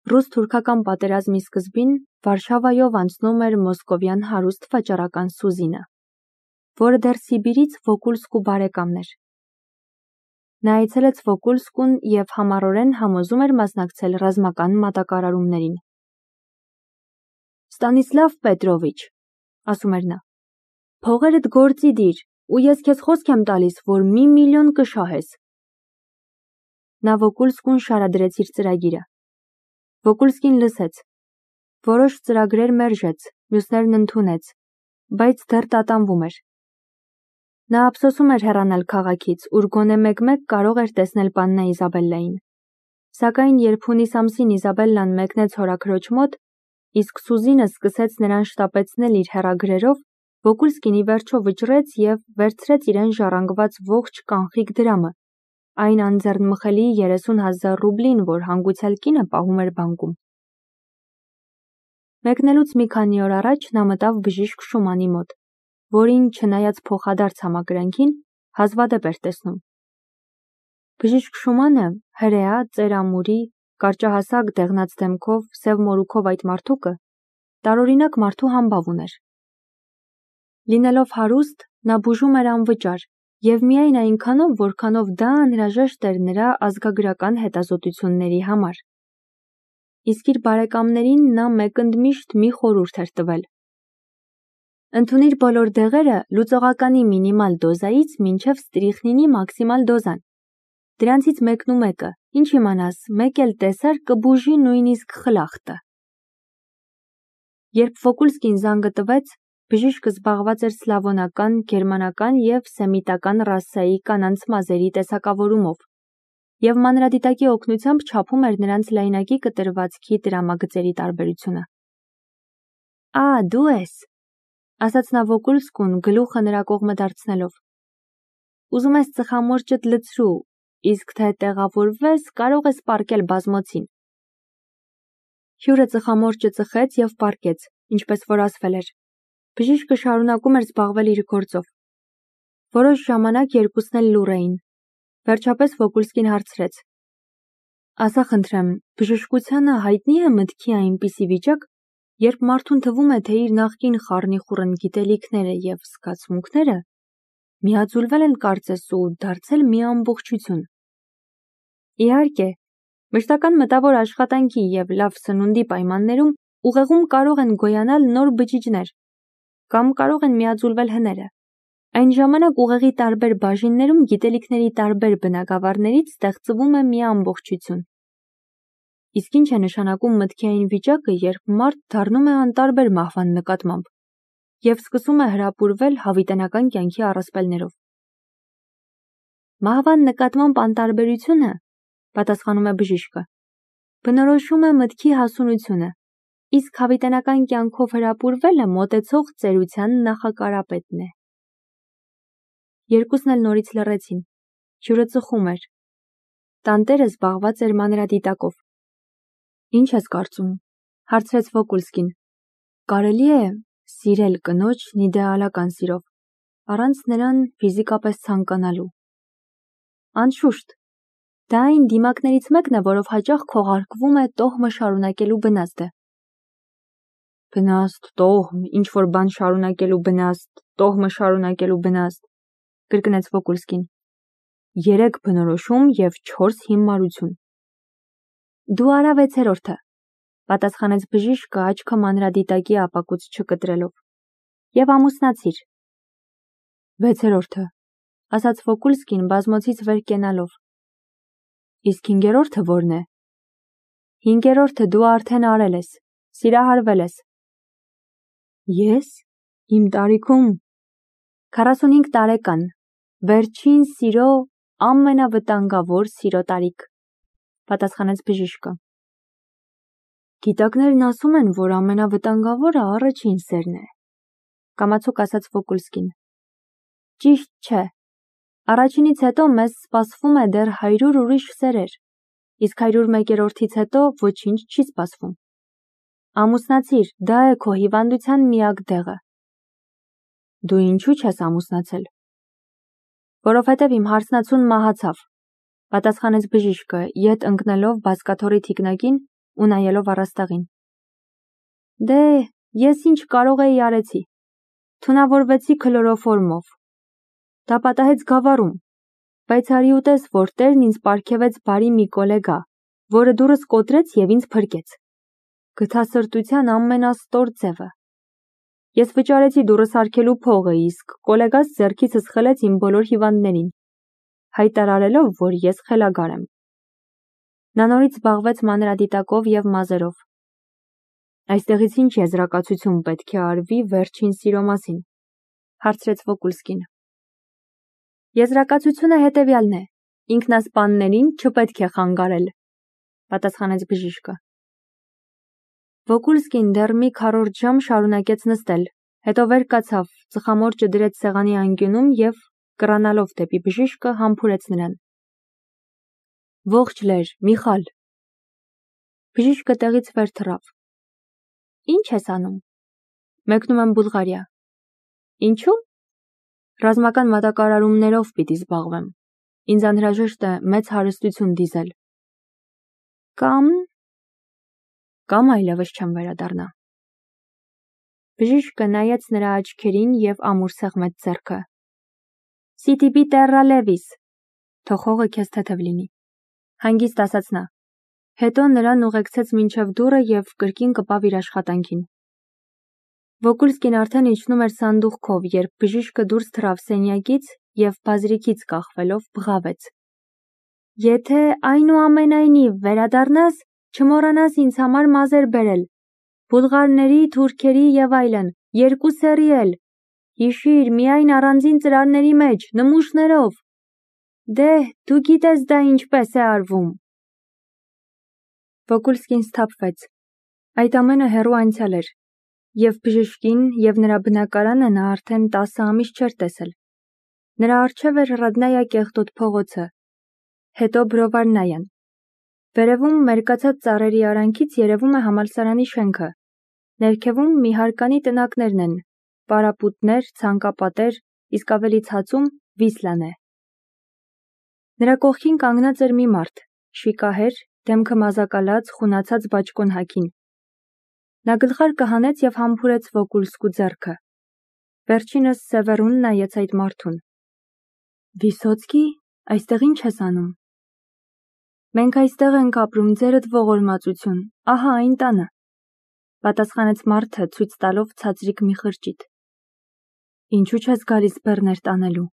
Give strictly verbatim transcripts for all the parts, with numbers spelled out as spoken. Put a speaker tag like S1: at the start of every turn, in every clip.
S1: Ռուս-թուրքական պատերազմի սկզբին Վարշավայով անցնում էր մոսկովյան հարուստ վաճառական Սուզինը, որը դեռ Սիբիրից Վոկուլսկու բարեկամն էր։ Նա այցելեց Վոկուլսկուն և համառորեն համոզում էր մասնակցել ռազմական մատակարարումներին։ Ստանիսլավ Պետրովիչ, ասում էր նա, փողերդ գործի դիր, ու ես քեզ խոսք եմ տալիս, որ մի միլիոն կշահես։ Նա Վոկուլսկուն շարադրեց իր ծրագիրը։ Վոկուլսկին լսեց, որոշ ծրագրեր մերժեց, մյուսներն ընդունեց, բայց դեռ տատանվում էր։ Նա ափսոսում էր հեռանալ քաղաքից, ուր գոնե մեկ-մեկ կարող էր տեսնել պաննա Իզաբելլային։ Սակայն երբ հունիս ամսին Իզաբելլան մեկնեց հորաքրոջ մոտ, իսկ Սուզինը սկսեց նրան շտապեցնել իր հեռագրերով, Վոկուլսկին ի վերջո վճռեց և վերցրեց իրեն ժառանգված ողջ կանխիկ դրամը, այն անձեռնմխելի երեսուն հազար ռուբլին, որ հանգուցյալ կինը պահում էր բանկում։ Մեկնելուց մի քանի օր առաջ նա մտավ բժիշկ Շումանի մոտ, որին, չնայած փոխադարձ համակրանքին, հազվադեպ էր տեսնում։ Բժիշկ Շումանը, հրեա, ծերամուրի, կարճահասակ դեղնած դեմքով, սև մորուքով այդ մարդուկը, տարօրինակ մարդու համբավ ուներ։ Լինելով հարուստ, նա բուժում էր անվճար և միայն այնքանով, որքանով դա անհրաժեշտ էր նրա ազգագրական հետազոտությունների համար։ Իսկ իր բարեկամներին նա մեկընդմիշտ մի խորհուրդ էր տվել. ընդունիր բոլոր դեղերը լուծողականի մինիմալ դոզայից մինչև ստրիխնինի մաքսիմալ դոզան։ Դրանցից մեկն ու մեկը, ինչ իմանաս, մեկ էլ տեսար կբուժի նույնիսկ խլախտը։ Երբ Վոկուլսկին զանգը տվեց, բժիշկը զբաղված էր սլավոնական, գերմանական և սեմիտական ռասայի կանանց մազերի տեսակավորումով և մանրադիտակի օգնությամբ չափում էր նրանց լայնակի կտրվածքի տրամագծերի տարբերությունը։ Ա, դու ես, ասաց նա Վոկուլսկուն գլուխը նրա կողմը դարձնելով։ Ուզում ես ծխամորճդ լցրու, իսկ թե տեղավորվես, կարող ես պառկել բազմոցին։ Հյուրը ծխամորճը ծխեց և պառկեց, ինչպես որ ասվել էր։ Բժիշկը շարունակում էր զբաղվել իր գործով։ Որոշ ժամանակ երկուսն էլ լուռ էին։ Վերջապես Վոկուլսկին հարցրեց. ասա խնդրեմ, բժշկությանը հայտնի է մտքի այնպիսի վիճակ, երբ մարդուն թվում է, թե իր նախկին խառնիխուռն գիտելիքները և զգացմունքները միաձուլվել են կարծես ու դարձել մի ամբողջություն։ Իհարկե, մշտական մտավոր աշխատանքի և լավ սնունդի պայմաններում ուղեղում կարող են գոյանալ նոր բջիջներ, կամ կարող են միաձուլվել հները։ Այն ժամանակ ուղեղի տարբեր բաժիններում գիտելիքների տարբեր բնագավառներից ստեղծվում է մի ամբողջություն։ Իսկ ինչ է նշանակում մտքի այն վիճակը, երբ մարդ դառնում է անտարբեր մահվան նկատմամբ և սկսում է հրապուրվել հավիտենական կյանքի առասպելներով։ Մահվան նկատմամբ անտարբերությունը, պատասխանում է բժիշկը, բնորոշում է մտքի հասունությունը, իսկ հավիտենական կյանքով հրապուրվելը մոտեցող ծերության նախակարապետն է։ Երկուսն էլ նորից լռեցին։ Հյուրը ծխում էր։ Տանտերը զբաղված էր մանրադիտակով։ Ինչ ես կարծում, հարցրեց Վոկուլսկին։ Կարելի է սիրել կնոջն իդեալական սիրով, առանց նրան ֆիզիկապես ցանկանալու։ Անշուշտ, դա այն դիմակներից մեկն է, որով հաճախ քողարկվում է տոհմը շարունակելու բնազդը։ Բնազդ, տոհմ, ինչ-որ բան շարունակելու բնազդ, տոհմը շարունակելու բնազդ, կրկնեց Վոկուլսկին։ Երեք բնորոշում և չորս հիմարություն։ Դու արա վեցերորդը, պատասխանեց բժիշկը աչքը մանրադիտակի ապակուց չկտրելով։ Եվ ամուսնացիր։ Վեցերորդը, ասաց Վոկուլսկին բազմոցից վեր կենալով։ Իսկ հինգերորդը որն է։ Հինգերորդը դու արդեն արել ես, սիրահարվել ես։ Ես, իմ տարիքում, քառասունհինգ տարեկան, վերջին սիրո, ամենավտանգավոր սիրո տարիք, պատասխանեց բժիշկը։ Գիտակներն ասում են, որ ամենավտանգավորը առաջին սերն է, կամացուկ ասաց Վոկուլսկին։ Ճիշտ չէ։ Առաջինից հետո մեզ սպասվում է դեռ հարյուր ուրիշ սերեր, իսկ հարյուր մեկերորդից հետո ոչինչ չի սպասվում։ Ամուսնացիր, դա է քո հիվանդության միակ դեղը։ Դու ինչու չես ամուսնացել։ Որովհետև իմ հարսնացուն մահացավ, պատասխանեց բժիշկը, ետ ընկնելով բազկաթոռի թիկնակին ու նայելով առաստաղին։ Դե, ես ինչ կարող էի արեցի։ Թունավորվեցի քլորոֆորմով։ Դա պատահեց գավառում, բայց արի ուտես, որ Տերն ինձ պարգևեց բարի մի կոլեգա, որը դուրս կոտրեց և ինձ փրկեց։ Գթասրտության ամենաստոր ձևը։ Ես վճարեցի դուրս արգելու փողը, իսկ կոլեգաս ձեռքիցս խլեց իմ բոլոր հիվանդներին, հայտարարելով, որ ես խելագար եմ։ Նա նորից զբաղվեց մանրադիտակով և մազերով։ Այստեղից ինչ եզրակացություն պետք է արվի վերջին սիրո մասին, հարցրեց Վոկուլսկին։ Եզրակացությունը հետևյալն է. ինքնասպաններին չպետք է խանգարել, պատասխանեց բժիշկը։ Վոկուլսկին դեռ մի քառորդ ժամ շարունակեց նստել, հետո վեր կացավ, ծխամորճը դրեց սեղանի անկյունում և, կռանալով դեպի բժիշկը, համբուրեց նրան։ Ողջ լեր, Միխալ։ Բժիշկը տեղից վեր թռավ։ Ինչ ես անում։ Մեկնում եմ Բուլղարիա։ Ինչու։ Ռազմական մատակարարումներով պիտի զբաղվեմ։ Ինձ անհրաժեշտ է մեծ հարստություն դիզել։ Կամ… Կամ այլևս չեմ վերադառնա։ Բժիշկը նայեց նրա աչքերին և ամուր սեղմեց ձեռքը։ Սիտիպի տեռա լևիս։ Թող հողը քեզ թեթև լինի։ Հանգիստ ասաց նա։ Հետո նրան ուղեկցեց մինչև դուռը և կրկին կպավ իր աշխատանքին։ Վոկուլսկին արդեն իջնում էր սանդուղքով, երբ բժիշկը դուրս թռավ սենյակից և բազրիքից կախվելով բղավեց. Եթե այնուամենայնիվ վերադառնաս, չմոռանաս ինձ համար մազեր բերել, բուլղարների, թուրքերի և այլն, երկու սերի էլ, հիշիր, միայն առանձին ծրարների մեջ, նմուշներով։ Դե, դու գիտես դա ինչպես է արվում։ Վոկուլսկին սթափվեց։ Այդ ամենը հեռու անցյալ էր, և բժիշկին և նրա բնակարանը նա արդեն տասը ամիս չէր տեսել։ Նրա առջև էր Ռադնայա կեղտոտ փողոցը, հետո Բրովարնայան։ Վերևում մերկացած ծառերի արանքից երևում է համալսարանի շենքը, ներքևում մի հարկանի տնակներն են, պարապուտներ, ցանկապատեր, իսկ ավելի ցածում Վիսլան է։ Նրա կողքին կանգնած էր մի մարդ, շիկահեր, դեմքը մազակալած, խունացած բաճկոն հագին։ Նա գլխարկը հանեց և համբուրեց Վոկուլսկու ձեռքը։ Վերջինս Սևեռուն նայեց այդ մարդուն։ Վիսոցկի, այստեղ ինչ ես անում։ Մենք այստեղ ենք ապրում, ձերդ ողորմածություն, ահա այն տանը, պատասխանեց մարդը, ցույց տալով ցածրիկ մի խրճիթ։ Ինչու չես գալիս բեռներ տանելու։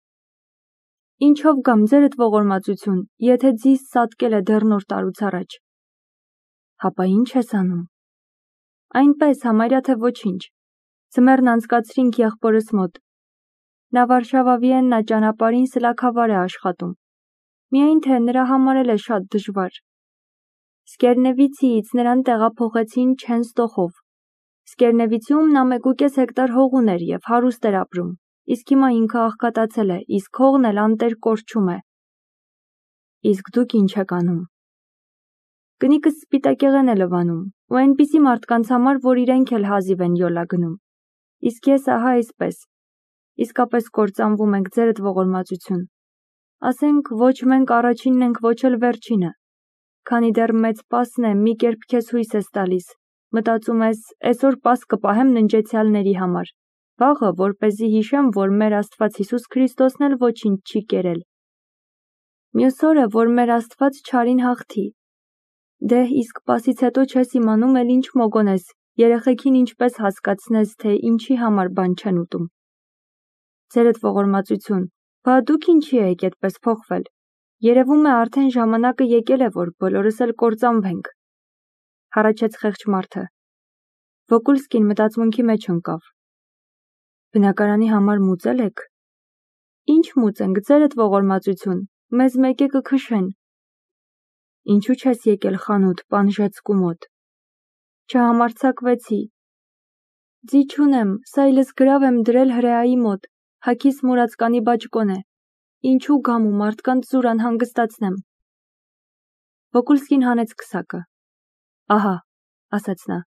S1: Ինչով գամ, ձերդ ողորմածություն, եթե ձիս սատկել է դեռ նոր տարուց առաջ։ Հապա ինչ ես անում։ Այնպես, համարյա թե ոչինչ։ Ձմեռն անցկացրինք եղբորս մոտ։ Նա Վարշավա-Վիեննա ճանապարհին սլաքավար է աշխատում։ Միայն թե նրա համար էլ է շատ դժվար։ Սկերնևիցիից նրան տեղափոխեցին Չենստոխով։ Սկերնևիցիում նա մեկուկես հեկտար հող ուներ և հարուստ էր ապրում, իսկ հիմա ինքը աղքատացել է, իսկ հողն էլ անտեր կորչում է։ Իսկ դուք ինչ եք անում։ Կնիկս սպիտակեղեն է լվանում, ու այնպիսի մարդկանց համար, որ իրենք էլ հազիվ են յոլա գնում։ Իսկ ես ահա այսպես։ Իսկապես կործանվում ենք, ձերդ ողորմածություն։ Ասենք, ոչ մենք առաջինն ենք, ոչ էլ վերջինը։ Քանի դեռ մեծ պասն է, մի կերպ քեզ հույս ես տալիս, մտածում ես, այսօր պաս կպահեմ ննջեցյալների համար, վաղը, որպեսզի հիշեմ, որ մեր Աստված Հիսուս Քրիստոսն էլ ոչինչ չի կերել։ Մյուս օրը, որ մեր Աստված չարին հաղթի։ Դե, իսկ պասից հետո չես իմանում էլ ինչ մոգոնես, երեխեքին ինչպես հասկացնես, թե ինչի համար բան չեն ուտում։ Ձերդ ողորմածություն, բա դուք ինչի եք այդպես փոխվել։ Երևում է արդեն ժամանակը եկել է, որ բոլորս էլ կործանվենք։ Հառաչեց խեղճ մարդը։ Վոկուլսկին մտածմունքի մեջ ընկավ։ Բնակարանի համար մուծել եք։ Ինչ մուծենք, ձերդ ողորմածություն, մեզ մեկ է կքշեն։ Ինչու չես եկել խանութ, պան Ժեցկու մոտ։ Չհամարձակվեցի։ Ձի չունեմ, սայլս գրավ եմ դրել հրեայի մոտ, հագիս մուրացկանի բաճկոն է։ Ինչու գամ ու մարդկանց զուր անհանգստացնեմ։ Վոկուլսկին հանեց քսակը։ Ահա, ասաց նա,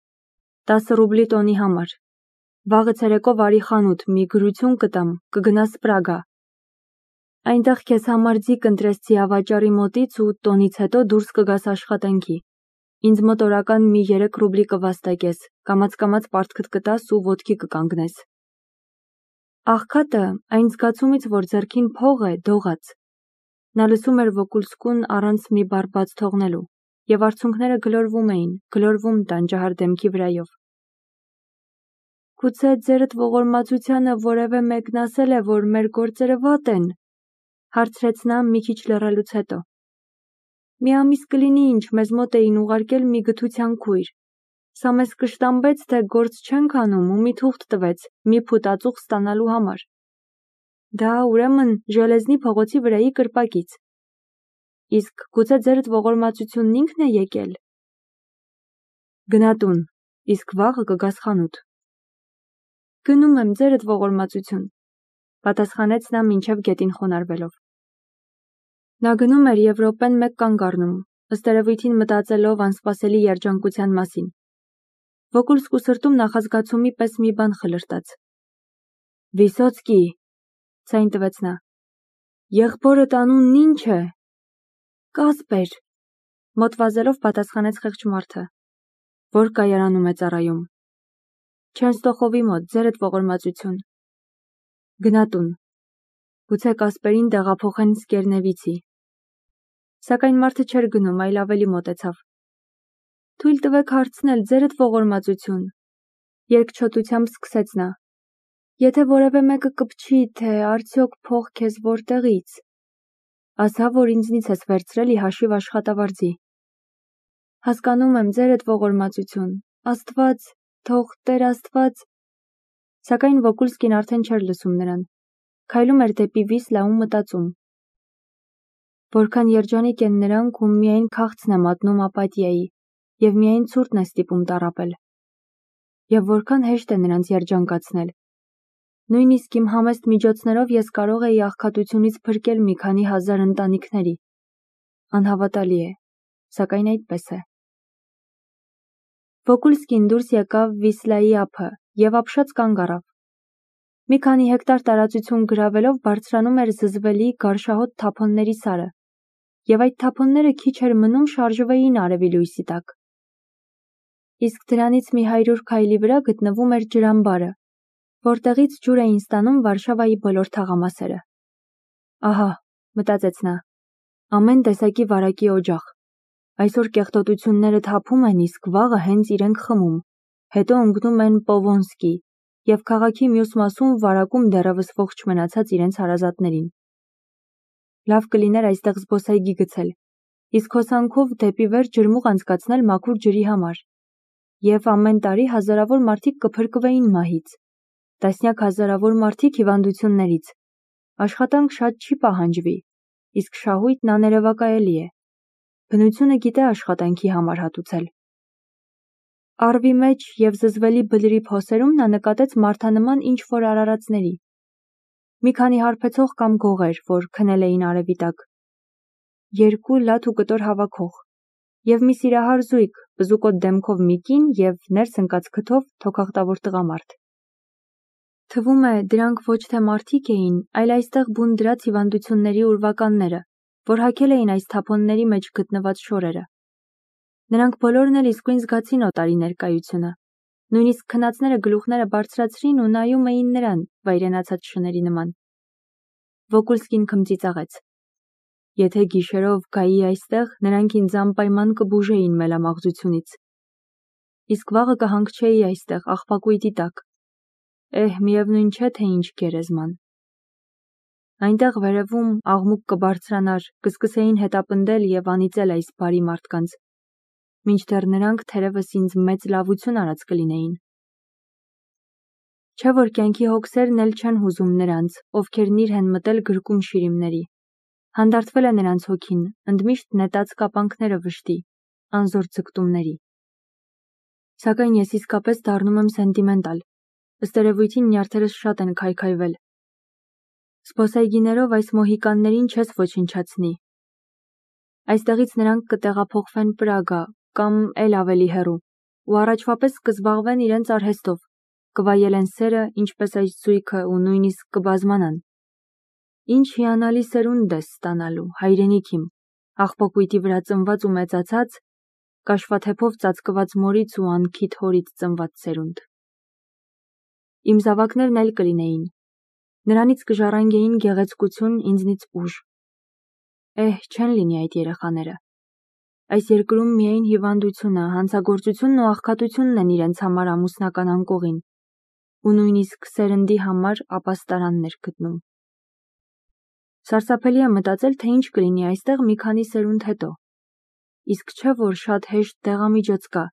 S1: տասը ռուբլի տոնի համար։ Վաղը ցերեկով արի խանութ, մի գրություն կտամ, կգնաս Պրագա։ Այնտեղ քեզ համար ձի կընտրես ձիավաճառի մոտից ու տոնից հետո դուրս կգաս աշխատանքի։ Ինձ մոտ օրական մի երեք ռուբլի կվաստակես, կամաց-կամաց պարտքդ կտաս ու ոտքի կկանգնես։ Աղքատը այն զգացումից, որ ձեռքին փող է, դողաց։ Նա լսում էր Վոկուլսկուն առանց մի բառ բաց թողնելու, եւ արցունքները գլորվում էին, գլորվում տանջահար դեմքի վրայով։ Գուցե ձերդ ողորմածությանը որևէ մեկն ասել է, որ մեր գործերը վատ են, հարցրեց նա մի քիչ լռելուց հետո։ Մի ամիս կլինի, ինչ մեզ մոտ էին ուղարկել մի գթության քույր։ Սա մեզ կշտամբեց, թե գործ չենք անում ու մի թուղթ տվեց, մի փութ ածուխ ստանալու համար։ Դա ուրեմն Ժելեզնի փողոցի վրայի կրպակից։ Իսկ գուցե ձերդ ողորմածությունն ինքն է եկել։ Գնա տուն, իսկ վաղը կգաս խանութ։ Գնում եմ, ձերդ ողորմածություն, պատասխանեց նա մինչև գետին խոնարհվելով։ Նա գնում էր եւ րոպեն մեկ կանգ առնում, ըստ երևույթին մտածելով անսպասելի երջանկության մասին։ Վոկուլսկու սրտում նախազգացումի պես մի բան խլրտաց։ Վիսոցկի, ցայն տվեց նա։ Եղբորդ անունն ինչ է։ Կասպեր, մոտ վազելով պատասխանեց խեղճ մարդը։ Որ կայարանում է ծառայում։ Չենստոխովի մոտ, ձերդ ողորմածություն։ Գնա տուն։ Գուցե Կասպերին տեղափոխեն Սկերնևիցի։ Սակայն մարդը չէր գնում, այլ ավելի մոտեցավ։ Թույլ տվեք հարցնել, ձերդ ողորմածություն։ Երկչոտությամբ սկսեց նա։ Եթե որևէ մեկը կպչի, թե արդյոք փող քեզ որտեղից։ Ասա, որ ինձնից ես վերցրել ի հաշիվ աշխատավարձի։ Հասկանում եմ, ձերդ ողորմածություն։ Աստված, թող Տեր Աստված։ Սակայն Վոկուլսկին արդեն չէր լսում նրան։ Քայլում էր դեպի Վիսլա ու մտածում։ Որքան երջանիկ են նրանք, ում միայն քաղցն է մատնում ապաթիայի, եւ միայն ցուրտն է ստիպում տառապել։ Եվ որքան հեշտ է նրանց երջանկացնել։ Նույնիսկ իմ համեստ միջոցներով ես կարող էի աղքատությունից փրկել մի քանի հազար ընտանիքների։ Անհավատալի է, սակայն այդպես է։ Վոկուլսկին դուրս եկավ Վիսլայի ափը եւ ապշած կանգ առավ։ Մի քանի հեկտար տարածություն գրավելով բարձրանում էր զզվելի գարշահոտ թափոնների սարը, եւ այդ թափոնները քիչ էր մնում շարժվեին արևի լույսի տակ։ Իսկ դրանից մի հարյուր քայլի վրա գտնվում էր ջրամբարը, որտեղից ջուր էին ստանում Վարշավայի բոլոր թաղամասերը։ Ահա, մտածեց նա, ամեն տեսակի վարակի օջախ։ Այսօր կեղտոտությունները թափում են, իսկ վաղը հենց իրենք խմում, հետո ընկնում են Պովոնսկի եւ քաղաքի մյուս մասում վարակում դեռևս ողջ մնացած իրենց հարազատներին։ Լավ կլիներ այստեղ զբոսայգի գցել, իսկ հոսանքով դեպի վեր ջրմուղ անցկացնել մաքուր ջրի համար։ Եվ ամեն տարի հազարավոր մարդիկ կփրկվեին մահից, տասնյակ հազարավոր մարդիկ հիվանդություններից։ Աշխատանք շատ չի պահանջվի, իսկ շահույթն աներևակայելի է։ Բնությունը գիտե աշխատանքի համար հատուցել։ Առվի մեջ եւ զզվելի բլրի փոսերում նա նկատեց մարդանման ինչ-որ արարածների։ Մի քանի հարբեցող կամ գողեր, որ քնել էին արևի տակ։ Երկու լաթ ու կտոր հավաքող եւ մի սիրահար զույգ, բզուկոտ դեմքով մի կին եւ ներս ընկած քթով թոքախտավոր տղամարդ։ Թվում է, դրանք ոչ թե մարդիկ էին, այլ այստեղ բուն դրած հիվանդությունների ուրվականները, որ հագել էին այս թափոնների մեջ գտնված շորերը։ Նրանք բոլորն էլ իսկույն զգացին օտարի ներկայությունը։ Նույնիսկ քնածները գլուխները բարձրացրին ու նայում էին նրան, վայրենացած շների նման։ Վոկուլսկին քմծիծաղեց։ Եթե գիշերով գայի այստեղ, նրանք ինձ անպայման կբուժեին մելամաղձությունից։ Իսկ վաղը կհանգչեի այստեղ, աղբակույտի տակ։ Էհ, միևնույն չէ, թե ինչ գերեզման։ Այնտեղ վերևում աղմուկ կբարձրանար, կսկսեին հետապնդել եւ անիծել այս բարի մարդկանց, մինչդեռ նրանք թերևս ինձ մեծ լավություն արած կլինեին։ Չէ որ կյանքի հոգսերն էլ չեն հուզում նրանց, ովքեր նիր են մտել գրկում շիրիմների։ Հանդարտվել է նրանց հոգին, ընդմիշտ նետած կապանքները վշտի, անզոր ձգտումների։ Սակայն ես իսկապես դառնում եմ սենտիմենտալ, ըստ երևույթին նյարդերս շատ են քայքայվել։ Զբոսայգիներով այս մոհիկաններին չես ոչնչացնի։ Այստեղից նրանք կտեղափոխվեն Պրագա կամ էլ ավելի հեռու, ու առաջվա պես կզբաղվեն իրենց արհեստով, կվայելեն սերը, ինչպես այս զույգը ու նույնիսկ կբազմանան։ Ինչ հիանալի սերունդ ես ստանալու, հայրենիք իմ, աղբակույտի վրա ծնված ու մեծացած, կաշվաթեփով ծածկված մորից ու անքիթ հորից ծնված սերունդ։ Իմ զավակներն էլ կլինեին, նրանից կժառանգեին գեղեցկություն, ինձնից ուժ։ Էհ, չեն լինի այդ երեխաները։ Այս երկրում միայն հիվանդությունը, հանցագործությունն ու աղքատությունն են իրենց համար ամուսնական անկողին, ու նույնիսկ սերնդի համար ապաստարաններ գտնում։ Սարսափելի է մտածել, թե ինչ կլինի այստեղ մի քանի սերունդ հետո։ Իսկ չէ, որ շատ հեշտ դեղամիջոց կա։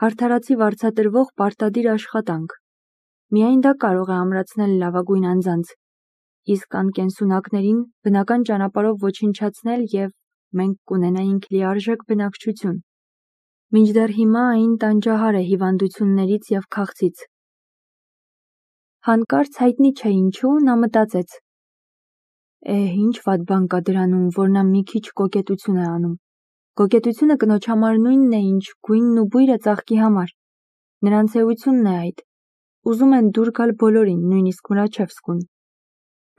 S1: Հարդարացի վարձատրվող պարտադիր աշխատանք։ Միայն դա կարող է ամրացնել լավագույն անձանց, իսկ անկենսունակներին բնական ճանապարհով ոչնչացնել և մենք կունենայինք լիարժեք բնակչություն։ Մինչդեռ հիմա այն տանջահար է հիվանդություններից և քաղցից։ Հանկարծ հայտնի չէ ինչու նա մտածեց. Էհ, ինչ վատ բան կա դրանում, որ նա մի քիչ կոկետություն է անում։ Կոկետությունը կնոջ համար նույնն է, ինչ գույնն ու բույրը ծաղկի համար։ Նրանց էությունն է այդ։ Ուզում են դուր գալ բոլորին, նույնիսկ Մրաչևսկուն։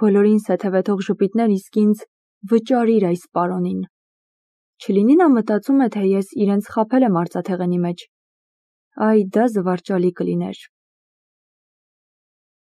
S1: Բոլորին սեթևեթող ժպիտներ, իսկ ինձ վճարիր այս պարոնին։ Չլինի նա մտածում է, թե ես իրենց խաբել եմ արծաթեղենի մեջ։ Այ դա զվարճալի կլիներ։